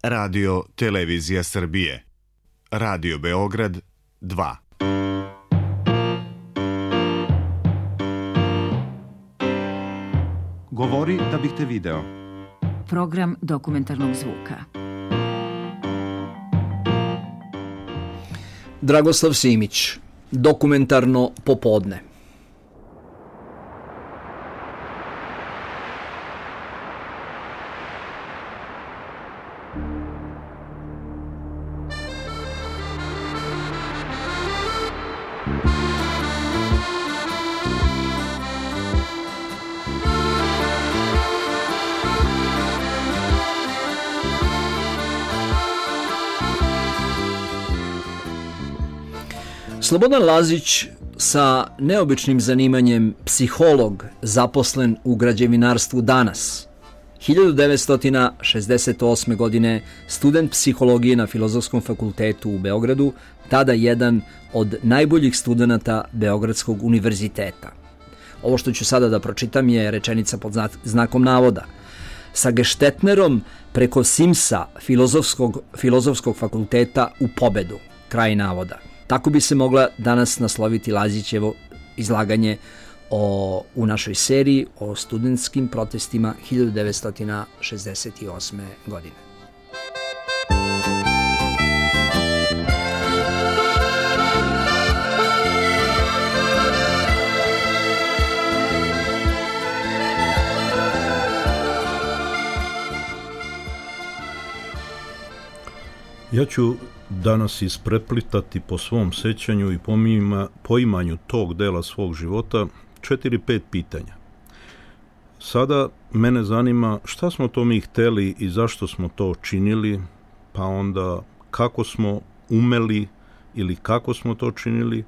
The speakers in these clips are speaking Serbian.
Radio Televizija Srbije. Radio Beograd 2. Govori da bih te video. Program dokumentarnog zvuka. Dragoslav Simić, dokumentarno popodne. Slobodan Lazić sa neobičnim zanimanjem psiholog zaposlen u građevinarstvu danas. 1968. godine student psihologije na Filozofskom fakultetu u Beogradu, tada jedan od najboljih studenata Beogradskog univerziteta. Ovo što ću sada da pročitam je rečenica pod znakom navoda. Sa Geštetnerom preko Simsa Filozofskog fakulteta u pobedu. Kraj navoda. Tako bi se mogla danas nasloviti Lazićevo izlaganje u našoj seriji o studentskim protestima 1968. godine. Ja ću danas ispreplitati po svom sećanju i poimanju tog dela svog života 4-5 pitanja. Sada mene zanima šta smo to mi hteli i zašto smo to činili, pa onda kako smo umeli ili kako smo to činili,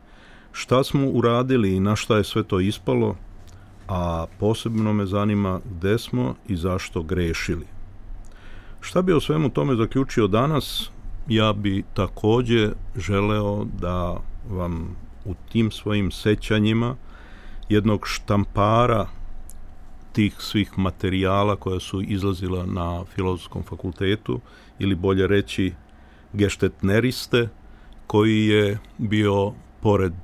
šta smo uradili i na šta je sve to ispalo, a posebno me zanima gde smo i zašto grešili. Šta bi o svemu tome zaključio danas? Ja bi takođe želeo da vam u tim svojim sećanjima jednog štampara tih svih materijala koja su izlazila na Filozofskom fakultetu, ili bolje reći geštetneriste, koji je bio pored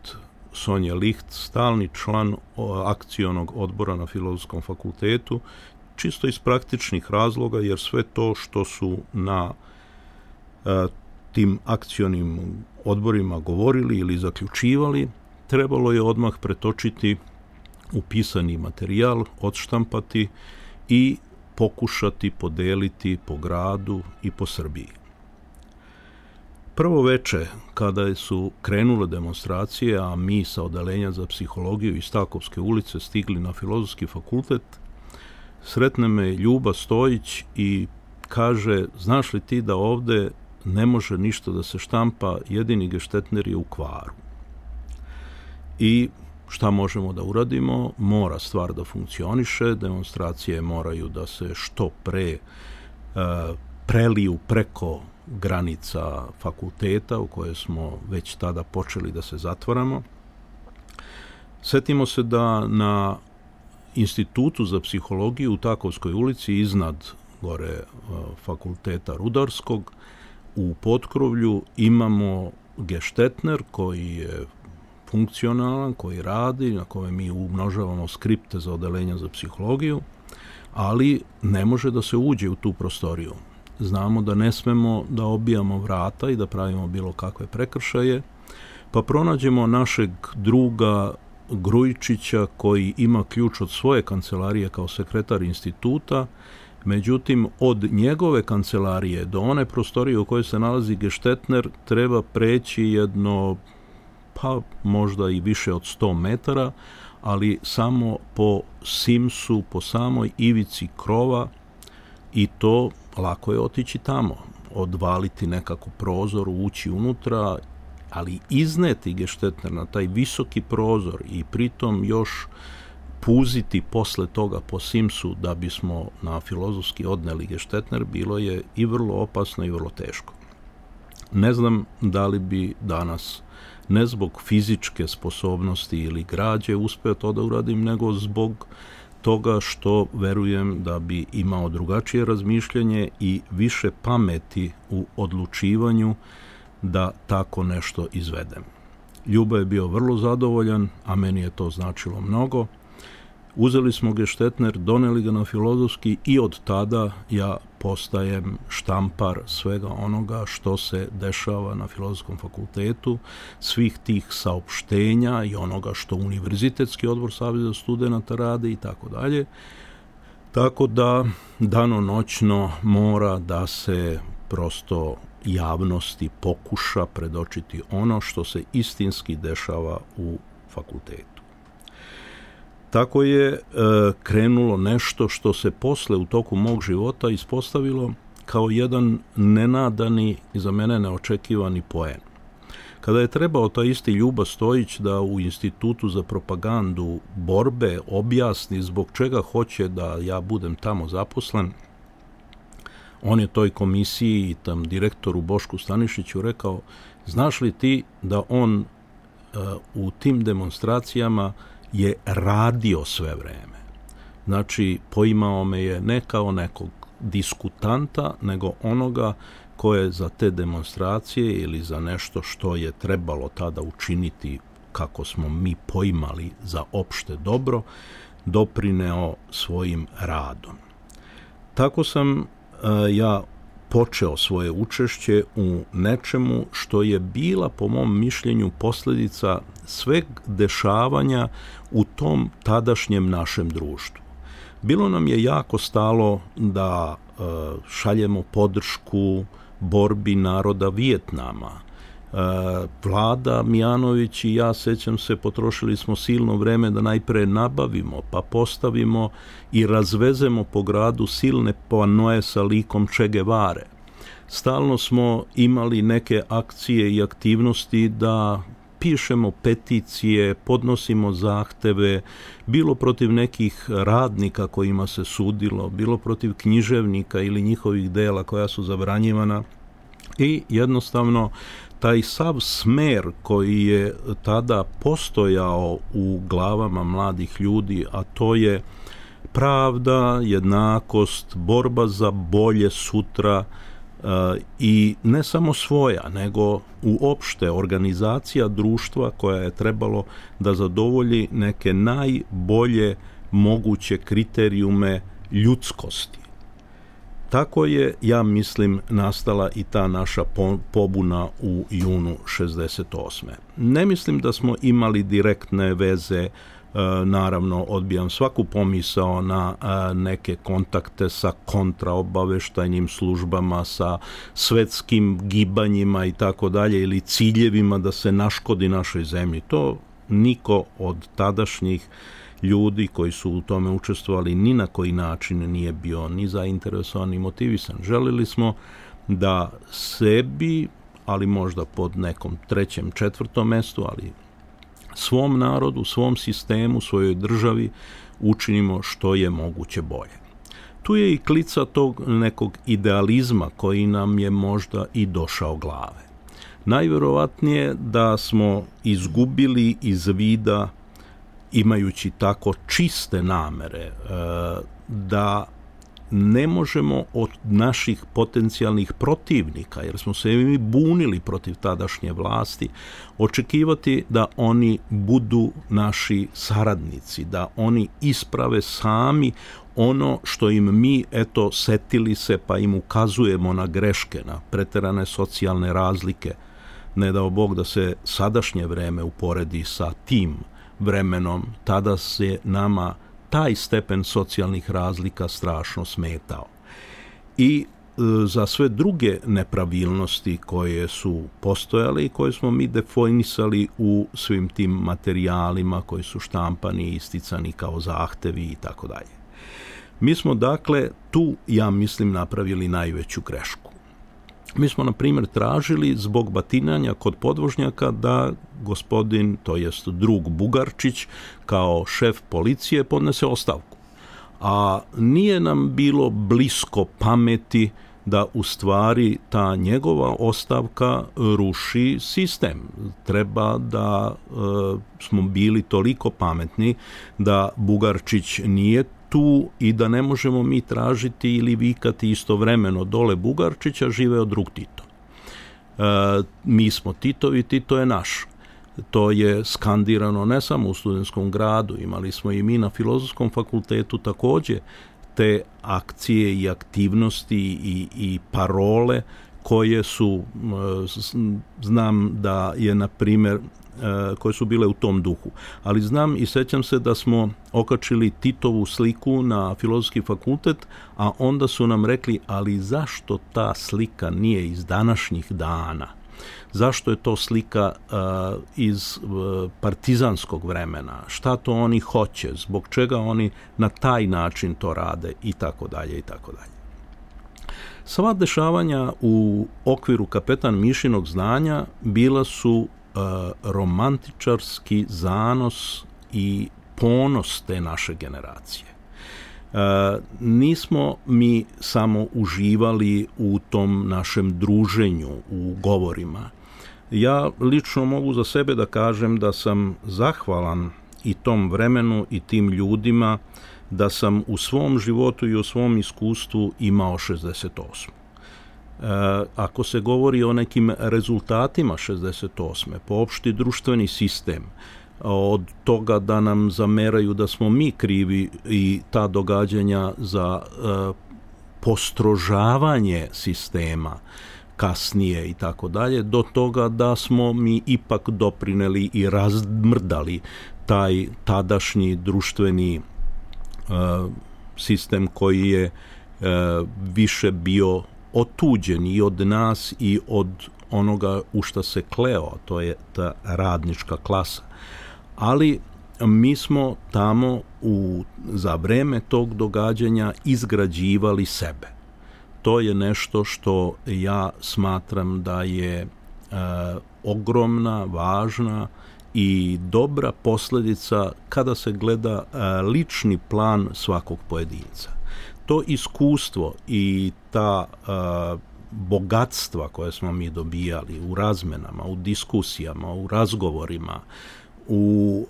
Sonje Licht stalni član akcionog odbora na Filozofskom fakultetu, čisto iz praktičnih razloga, jer sve to što su na tim akcionim odborima govorili ili zaključivali, trebalo je odmah pretočiti u pisani materijal, odštampati i pokušati podeliti po gradu i po Srbiji. Prvo veče, kada su krenule demonstracije, a mi sa odeljenja za psihologiju iz Takovske ulice stigli na Filozofski fakultet, sretne me Ljuba Stojić i kaže, znaš li ti da ovde ne može ništa da se štampa, jedini geštetner je u kvaru. I šta možemo da uradimo? Mora stvar da funkcioniše, demonstracije moraju da se što pre preliju preko granica fakulteta u koje smo već tada počeli da se zatvaramo. Setimo se da na Institutu za psihologiju u Takovskoj ulici iznad gore fakulteta Rudarskog u potkrovlju imamo geštetner koji je funkcionalan, koji radi, na kome mi umnožavamo skripte za odeljenja za psihologiju, ali ne može da se uđe u tu prostoriju. Znamo da ne smemo da obijamo vrata i da pravimo bilo kakve prekršaje, pa pronađemo našeg druga Grujičića koji ima ključ od svoje kancelarije kao sekretar instituta. Međutim, od njegove kancelarije do one prostorije u kojoj se nalazi geštetner treba preći jedno, pa možda i više od 100 metara, ali samo po simsu, po samoj ivici krova, i to lako je otići tamo, odvaliti nekako prozor, ući unutra, ali izneti geštetner na taj visoki prozor i pritom još puziti posle toga po simsu da bismo na Filozofski odneli geštetner, bilo je i vrlo opasno i vrlo teško. Ne znam da li bi danas, ne zbog fizičke sposobnosti ili građe uspeo to da uradim, nego zbog toga što verujem da bi imao drugačije razmišljanje i više pameti u odlučivanju da tako nešto izvedem. Ljuba je bio vrlo zadovoljan, a meni je to značilo mnogo. Uzeli smo Gestetner, doneli ga na Filozofski i od tada ja postajem štampar svega onoga što se dešava na Filozofskom fakultetu, svih tih saopštenja i onoga što Univerzitetski odbor Saveza studenata radi i tako dalje. Tako da danonoćno mora da se prosto javnosti pokuša predočiti ono što se istinski dešava u fakultetu. Tako je krenulo nešto što se posle u toku mog života ispostavilo kao jedan nenadani i za mene neočekivani poen. Kada je trebao taj isti Ljuba Stojić da u Institutu za propagandu borbe objasni zbog čega hoće da ja budem tamo zaposlen, on je toj komisiji i tam direktoru Bošku Stanišiću rekao: znaš li ti da on u tim demonstracijama je radio sve vreme. Znači, poimao me je ne kao nekog diskutanta, nego onoga ko je za te demonstracije ili za nešto što je trebalo tada učiniti kako smo mi poimali za opšte dobro, doprineo svojim radom. Tako sam ja počeo svoje učešće u nečemu što je bila, po mom mišljenju, posljedica sveg dešavanja u tom tadašnjem našem društvu. Bilo nam je jako stalo da šaljemo podršku borbi naroda Vijetnama. Vlada Mijanović i ja, sećam se, potrošili smo silno vreme da najpre nabavimo, pa postavimo i razvezemo po gradu silne panoe sa likom Che Guevare. Stalno smo imali neke akcije i aktivnosti da pišemo peticije, podnosimo zahteve, bilo protiv nekih radnika kojima se sudilo, bilo protiv književnika ili njihovih dela koja su zabranjivana. I jednostavno taj sav smer koji je tada postojao u glavama mladih ljudi, a to je pravda, jednakost, borba za bolje sutra, i ne samo svoja, nego uopšte organizacija društva koja je trebalo da zadovolji neke najbolje moguće kriterijume ljudskosti. Tako je, ja mislim, nastala i ta naša pobuna u junu 68. Ne mislim da smo imali direktne veze, naravno odbijam svaku pomisao na neke kontakte sa kontraobaveštajnim službama, sa svetskim gibanjima i tako dalje, ili ciljevima da se naškodi našoj zemlji. To niko od tadašnjih ljudi koji su u tome učestvovali ni na koji način nije bio ni zainteresovan ni motivisan. Želili smo da sebi, ali možda pod nekom trećem, četvrtom mestu, ali svom narodu, svom sistemu, svojoj državi učinimo što je moguće bolje. Tu je i klica tog nekog idealizma koji nam je možda i došao glave. Najverovatnije da smo izgubili iz vida, imajući tako čiste namere, da ne možemo od naših potencijalnih protivnika, jer smo se mi bunili protiv tadašnje vlasti, očekivati da oni budu naši saradnici, da oni isprave sami ono što im mi, eto, setili se pa im ukazujemo na greške, na preterane socijalne razlike. Ne dao Bog da se sadašnje vreme uporedi sa tim vremenom, tada se nama taj stepen socijalnih razlika strašno smetao. I za sve druge nepravilnosti koje su postojale i koje smo mi definisali u svim tim materijalima koji su štampani i isticani kao zahtevi i tako dalje. Mi smo dakle tu, ja mislim, napravili najveću grešku. Mi smo, na primjer, tražili zbog batinanja kod podvožnjaka da gospodin, to jest drug Bugarčić, kao šef policije podnese ostavku. A nije nam bilo blisko pameti da u stvari ta njegova ostavka ruši sistem. Treba da smo bili toliko pametni da Bugarčić nije tu i da ne možemo mi tražiti ili vikati istovremeno dole Bugarčića, živeo drug Tito. Mi smo Titovi, Tito je naš. To je skandirano ne samo u Studentskom gradu, imali smo i mi na Filozofskom fakultetu također te akcije i aktivnosti i parole koje su, znam da je na primjer, koje su bile u tom duhu. Ali znam i sećam se da smo okačili Titovu sliku na Filozofski fakultet, a onda su nam rekli, ali zašto ta slika nije iz današnjih dana? Zašto je to slika iz partizanskog vremena? Šta to oni hoće? Zbog čega oni na taj način to rade? I tako dalje, i tako dalje. Sva dešavanja u okviru Kapetan Mišinog znanja bila su romantičarski zanos i ponos te naše generacije. Nismo mi samo uživali u tom našem druženju, u govorima. Ja lično mogu za sebe da kažem da sam zahvalan i tom vremenu i tim ljudima, da sam u svom životu i u svom iskustvu imao 68. Ako se govori o nekim rezultatima 68. po opšti društveni sistem, od toga da nam zameraju da smo mi krivi i ta događanja za postrožavanje sistema kasnije i tako dalje, do toga da smo mi ipak doprineli i razmrdali taj tadašnji društveni sistem koji je više bio otuđen i od nas i od onoga u šta se kleo, to je ta radnička klasa. Ali mi smo tamo za vreme tog događanja izgrađivali sebe. To je nešto što ja smatram da je ogromna, važna i dobra posljedica kada se gleda lični plan svakog pojedinca. To iskustvo i ta bogatstva koje smo mi dobijali u razmenama, u diskusijama, u razgovorima, u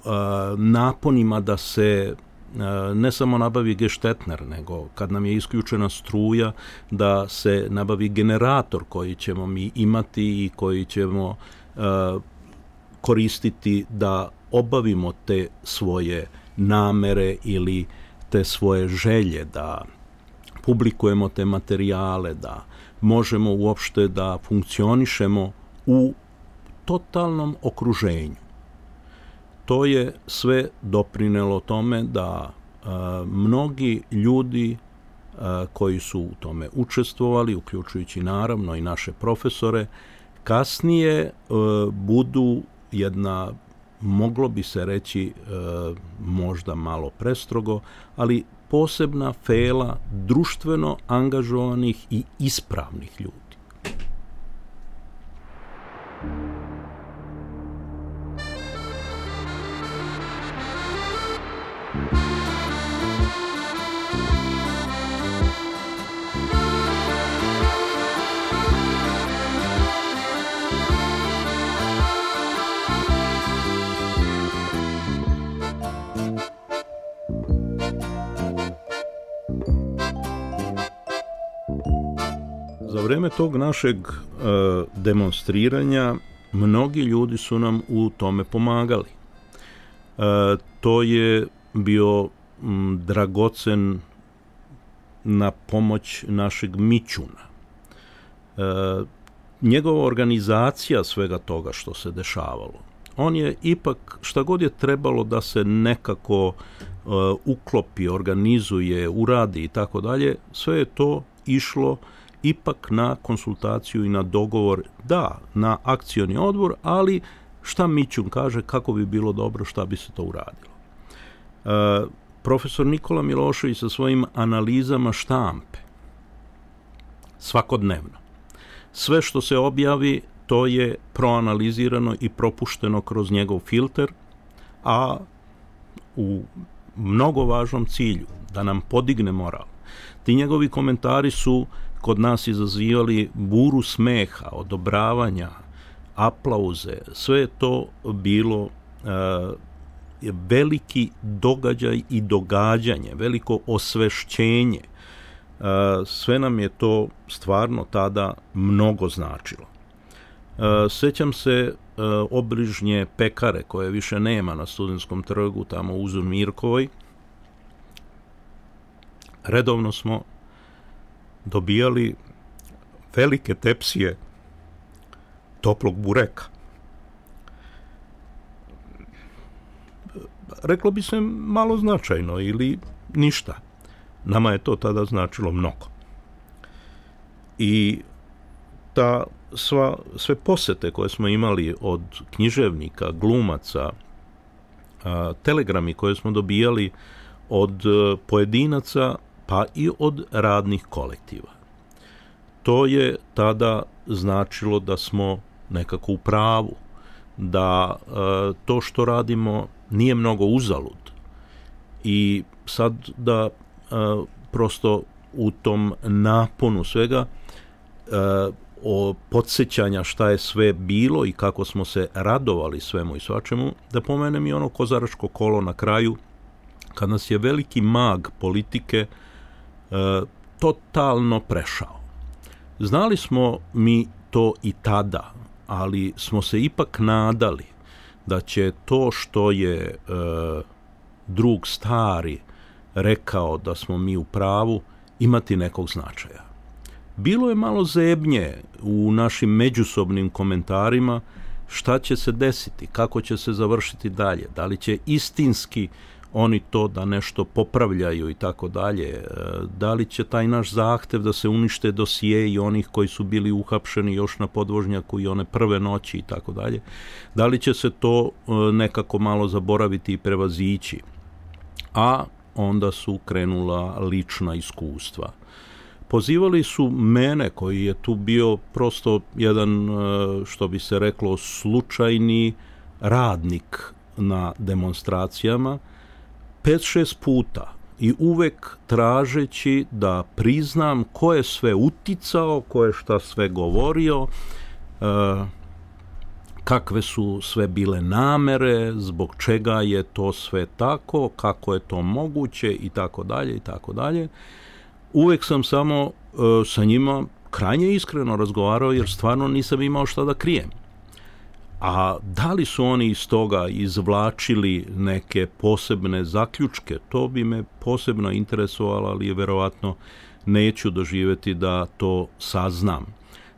naponima da se ne samo nabavi geštetner, nego kad nam je isključena struja, da se nabavi generator koji ćemo mi imati i koji ćemo koristiti da obavimo te svoje namere ili te svoje želje, da publikujemo te materijale, da možemo uopšte da funkcionišemo u totalnom okruženju. To je sve doprinelo tome da mnogi ljudi koji su u tome učestvovali, uključujući naravno i naše profesore, kasnije budu jedna, moglo bi se reći možda malo prestrogo, ali posebna fela društveno angažovanih i ispravnih ljudi. Za vreme tog našeg demonstriranja mnogi ljudi su nam u tome pomagali. To je bio dragocen na pomoć našeg Mićuna. Njegova organizacija svega toga što se dešavalo, on je ipak, šta god je trebalo da se nekako uklopi, organizuje, uradi i tako dalje, sve je to išlo ipak na konsultaciju i na dogovor, da, na akcioni odbor, ali šta Mićun kaže, kako bi bilo dobro, šta bi se to uradilo. Profesor Nikola Milošević sa svojim analizama štampe, svakodnevno. Sve što se objavi, to je proanalizirano i propušteno kroz njegov filter, a u mnogo važnom cilju, da nam podigne moral. Ti njegovi komentari su kod nas izazivali buru smeha, odobravanja, aplauze. Sve je to bilo veliki događaj i događanje, veliko osvešćenje. Sve nam je to stvarno tada mnogo značilo. Sjećam se obližnje pekare koje više nema na Studentskom trgu, tamo u Mirkovoj. Redovno smo dobijali velike tepsije toplog bureka. Reklo bi se malo značajno ili ništa. Nama je to tada značilo mnogo. I sve posete koje smo imali od književnika, glumaca, telegrami koje smo dobijali od pojedinaca, pa i od radnih kolektiva. To je tada značilo da smo nekako u pravu, da to što radimo nije mnogo uzalud. I sad da prosto u tom naponu svega o podsjećanja šta je sve bilo i kako smo se radovali svemu i svačemu, da pomenem i ono kozaračko kolo na kraju, kad nas je veliki mag politike totalno prešao. Znali smo mi to i tada, ali smo se ipak nadali da će to što je drug stari rekao da smo mi u pravu imati nekog značaja. Bilo je malo zebnje u našim međusobnim komentarima šta će se desiti, kako će se završiti dalje, da li će istinski oni to da nešto popravljaju i tako dalje, da li će taj naš zahtev da se unište dosije i onih koji su bili uhapšeni još na podvožnjaku i one prve noći i tako dalje, da li će se to nekako malo zaboraviti i prevazići. A onda su krenula lična iskustva. Pozivali su mene, koji je tu bio prosto jedan, što bi se reklo, slučajni radnik na demonstracijama, 5-6 puta i uvek tražeći da priznam ko je sve uticao, ko je šta sve govorio, kakve su sve bile namere, zbog čega je to sve tako, kako je to moguće i tako dalje i tako dalje. Uvek sam samo sa njima krajnje iskreno razgovarao jer stvarno nisam imao šta da krijem. A da li su oni iz toga izvlačili neke posebne zaključke, to bi me posebno interesovalo, ali verovatno neću doživjeti da to saznam.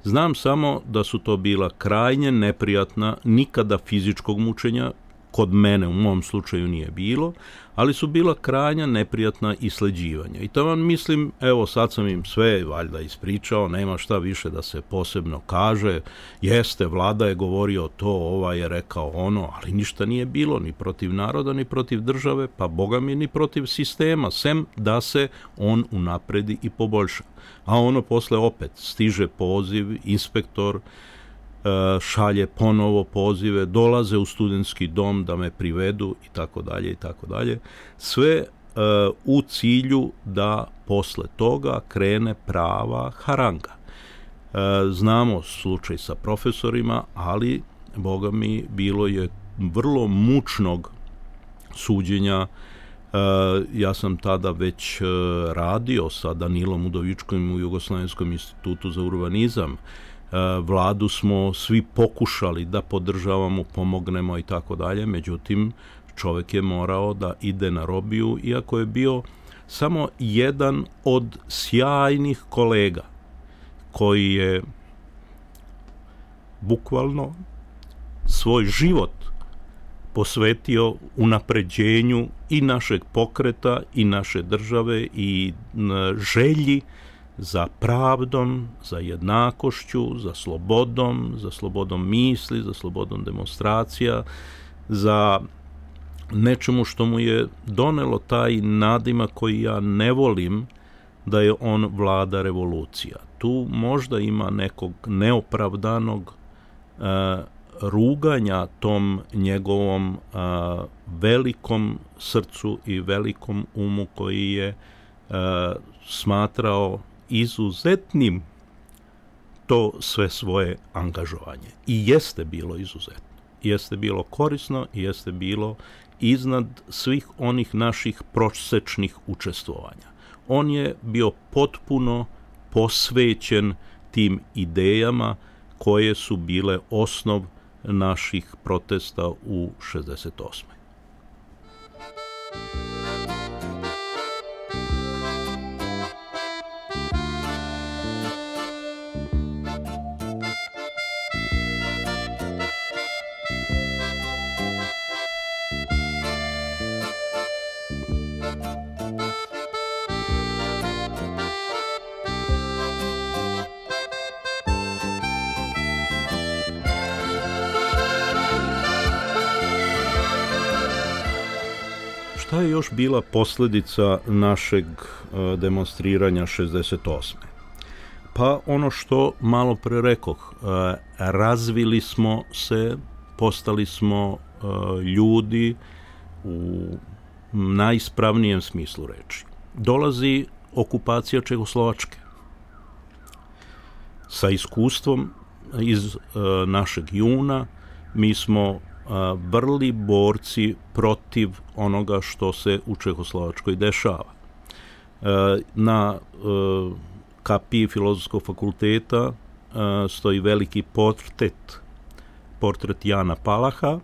Znam samo da su to bila krajnje neprijatna, nikada fizičkog mučenja, kod mene u mom slučaju nije bilo, ali su bila krajnja neprijatna isleđivanja. I to mislim, evo sad sam im sve valjda ispričao, nema šta više da se posebno kaže, jeste, vlada je govorio to, ovaj je rekao ono, ali ništa nije bilo ni protiv naroda, ni protiv države, pa boga mi ni protiv sistema, sem da se on unapredi i poboljša. A ono posle opet stiže poziv, inspektor šalje ponovo pozive, dolaze u studentski dom da me privedu i tako dalje i tako dalje. Sve u cilju da posle toga krene prava haranga. Znamo slučaj sa profesorima, ali boga mi bilo je vrlo mučnog suđenja. Ja sam tada već radio sa Danilom Udovičkovim u Jugoslavenskom institutu za urbanizam. Vladu smo svi pokušali da podržavamo, pomognemo i tako dalje, međutim čovjek je morao da ide na robiju, iako je bio samo jedan od sjajnih kolega koji je bukvalno svoj život posvetio unapređenju i našeg pokreta i naše države i želji za pravdom, za jednakošću, za slobodom misli, za slobodom demonstracija, za nečemu što mu je donelo taj nadimak koji ja ne volim, da je on vlada revolucija. Tu možda ima nekog neopravdanog ruganja tom njegovom velikom srcu i velikom umu koji je smatrao izuzetnim to sve svoje angažovanje. I jeste bilo izuzetno. Jeste bilo korisno i jeste bilo iznad svih onih naših prosečnih učestvovanja. On je bio potpuno posvećen tim idejama koje su bile osnov naših protesta u 68. Šta je još bila posljedica našeg demonstriranja 68. Pa ono što malo pre rekoh, razvili smo se, postali smo ljudi u najispravnijem smislu reči. Dolazi okupacija Čehoslovačke. Sa iskustvom iz našeg juna mi smo vrli borci protiv onoga što se u Čehoslovačkoj dešava. Na kapiji Filozofskog fakulteta stoji veliki portret Jana Palaha.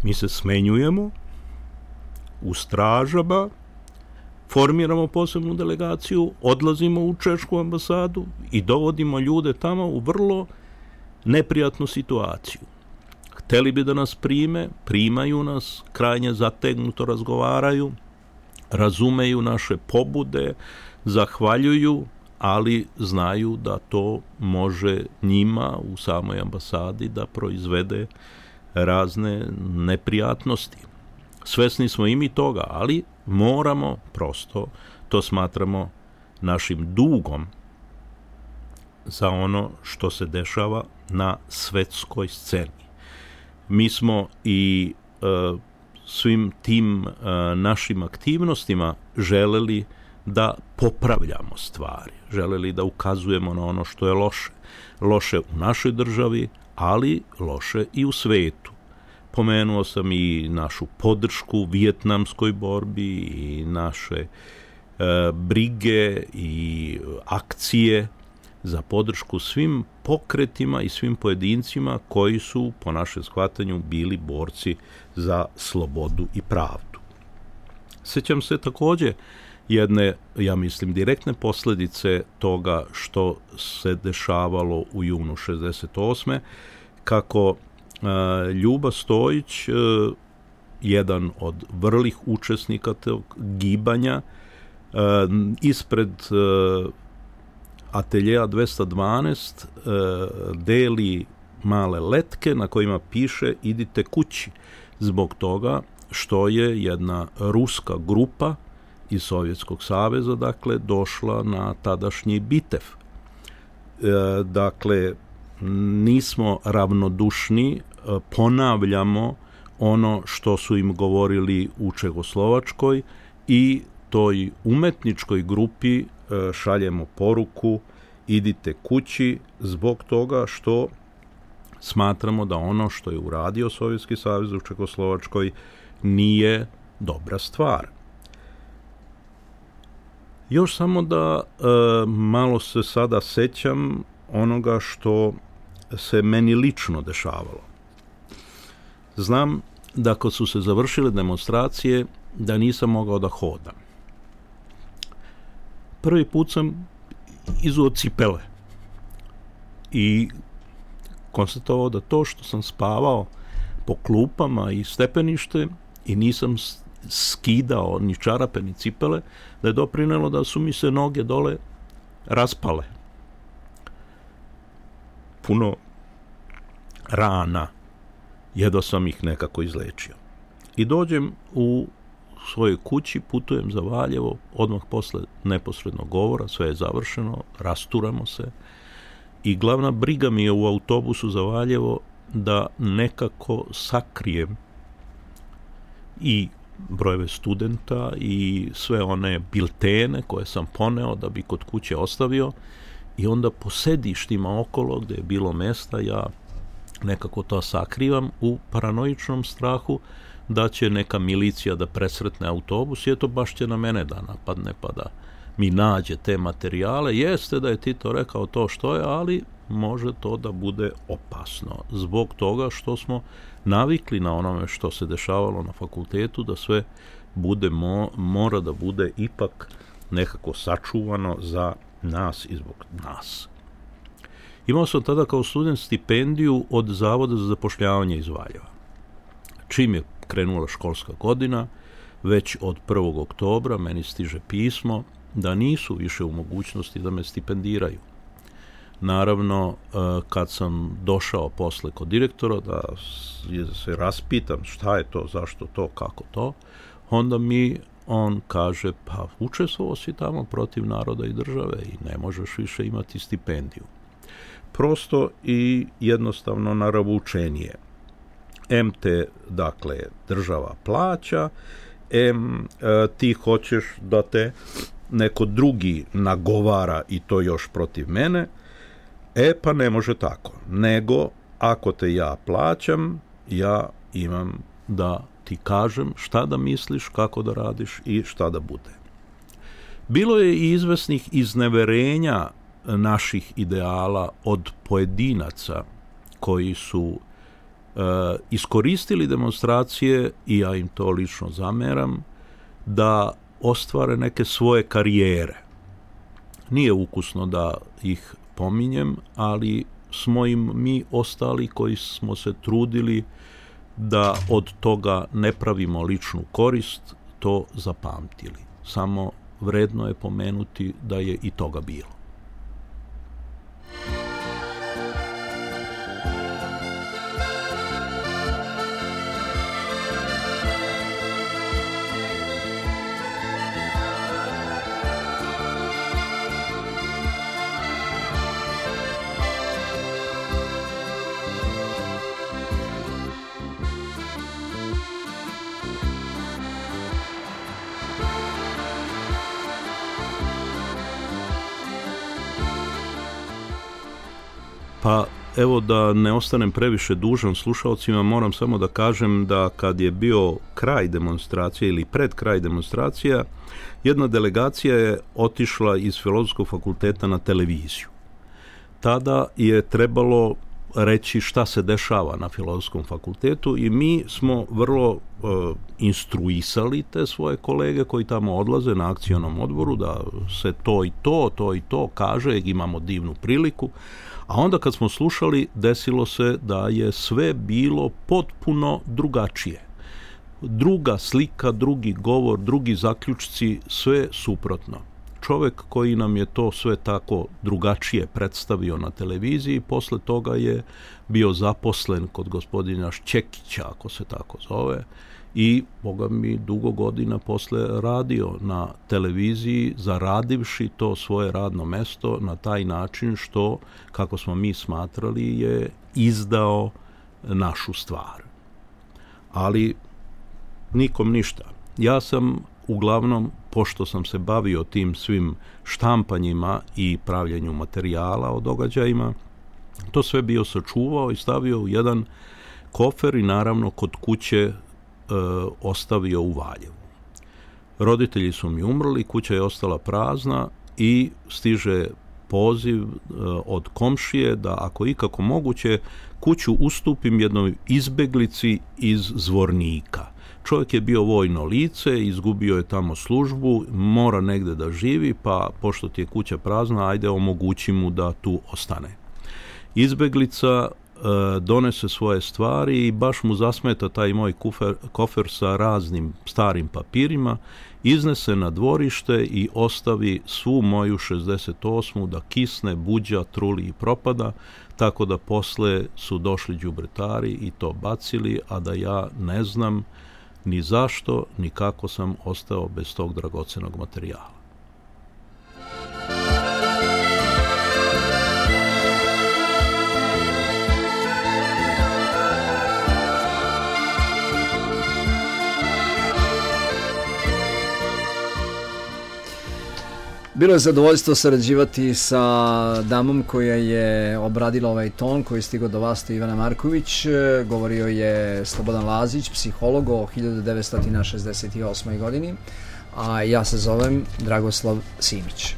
Mi se smenjujemo u stražama, formiramo posebnu delegaciju, odlazimo u Češku ambasadu i dovodimo ljude tamo u vrlo neprijatnu situaciju. Hteli bi da nas primaju nas, krajnje zategnuto razgovaraju, razumeju naše pobude, zahvaljuju, ali znaju da to može njima u samoj ambasadi da proizvede razne neprijatnosti. Svesni smo i mi toga, ali moramo prosto, to smatramo našim dugom za ono što se dešava na svetskoj sceni. Mi smo i svim tim našim aktivnostima želeli da popravljamo stvari, želeli da ukazujemo na ono što je loše. Loše u našoj državi, ali loše i u svetu. Pomenuo sam i našu podršku vijetnamskoj borbi i naše brige i akcije za podršku svim pokretima i svim pojedincima koji su, po našem shvatanju, bili borci za slobodu i pravdu. Sjećam se također jedne, ja mislim, direktne posljedice toga što se dešavalo u junu 68. kako Ljuba Stojić, jedan od vrlih učesnika tog gibanja, ispred ateljeja 212 deli male letke na kojima piše idite kući, zbog toga što je jedna ruska grupa iz Sovjetskog saveza, dakle, došla na tadašnji Bitev. Dakle, nismo ravnodušni, ponavljamo ono što su im govorili u Čehoslovačkoj i toj umetničkoj grupi šaljemo poruku idite kući zbog toga što smatramo da ono što je uradio Sovjetski savez u Čehoslovačkoj nije dobra stvar. Još samo da malo se sada sećam onoga što se meni lično dešavalo. Znam da kad su se završile demonstracije da nisam mogao da hodam. Prvi put sam izuo cipele i konstatovao da to što sam spavao po klupama i stepenište i nisam skidao ni čarape ni cipele, da je doprinelo da su mi se noge dole raspale. Puno rana, jedva sam ih nekako izlečio. I dođem u svojoj kući, putujem za Valjevo, odmah posle neposrednog govora, sve je završeno, rasturamo se i glavna briga mi je u autobusu za Valjevo da nekako sakrijem i brojeve studenta i sve one biltene koje sam poneo da bi kod kuće ostavio, i onda po sedištima okolo gde je bilo mesta ja nekako to sakrivam u paranoičnom strahu da će neka milicija da presretne autobus i eto baš će na mene da napadne pa da mi nađe te materijale. Jeste da je Tito rekao to što je, ali može to da bude opasno zbog toga što smo navikli na onome što se dešavalo na fakultetu, da sve bude mora da bude ipak nekako sačuvano za nas i zbog nas. Imao sam tada kao student stipendiju od Zavoda za zapošljavanje iz Valjeva. Čim je krenula školska godina, već od 1. oktobra meni stiže pismo da nisu više u mogućnosti da me stipendiraju. Naravno, kad sam došao posle kod direktora da se raspitam šta je to, zašto to, kako to, onda mi on kaže, pa učestvovao si tamo protiv naroda i države i ne možeš više imati stipendiju. Prosto i jednostavno naravučenije. Te, dakle, država plaća, ti hoćeš da te neko drugi nagovara i to još protiv mene, pa ne može tako. Nego, ako te ja plaćam, ja imam da ti kažem šta da misliš, kako da radiš i šta da bude. Bilo je i izvesnih izneverenja naših ideala od pojedinaca koji su iskoristili demonstracije, i ja im to lično zameram, da ostvare neke svoje karijere. Nije ukusno da ih pominjem, ali smo im mi ostali koji smo se trudili da od toga ne pravimo ličnu korist, to zapamtili. Samo vredno je pomenuti da je i toga bilo. Pa evo, da ne ostanem previše dužan slušalcima, moram samo da kažem da kad je bio kraj demonstracije ili pred kraj demonstracija, jedna delegacija je otišla iz Filozofskog fakulteta na televiziju. Tada je trebalo reći šta se dešava na Filozofskom fakultetu i mi smo vrlo instruisali te svoje kolege koji tamo odlaze na akcionom odboru da se to i to kaže, imamo divnu priliku. A onda kad smo slušali, desilo se da je sve bilo potpuno drugačije. Druga slika, drugi govor, drugi zaključci, sve suprotno. Čovek koji nam je to sve tako drugačije predstavio na televiziji, posle toga je bio zaposlen kod gospodina Šćekića, ako se tako zove, i, boga mi, dugo godina posle radio na televiziji, zaradivši to svoje radno mesto na taj način što, kako smo mi smatrali, je izdao našu stvar. Ali nikom ništa. Ja sam uglavnom, pošto sam se bavio tim svim štampanjima i pravljenju materijala o događajima, to sve bio sačuvao i stavio u jedan kofer i naravno kod kuće ostavio u Valjevu. Roditelji su mi umrli, kuća je ostala prazna i stiže poziv od komšije da ako ikako moguće kuću ustupim jednoj izbeglici iz Zvornika. Čovjek je bio vojno lice, izgubio je tamo službu, mora negde da živi, pa pošto ti je kuća prazna, ajde omogući mu da tu ostane. Izbeglica donese svoje stvari i baš mu zasmeta taj moj kofer sa raznim starim papirima, iznese na dvorište i ostavi svu moju 68. da kisne, buđa, truli i propada, tako da posle su došli đubretari i to bacili, a da ja ne znam ni zašto, ni kako sam ostao bez tog dragocenog materijala. Bilo je zadovoljstvo sarađivati sa damom koja je obradila ovaj ton koji je stigao do vas, to je Ivana Marković. Govorio je Slobodan Lazić, psiholog, o 1968. godini, a ja se zovem Dragoslav Simić.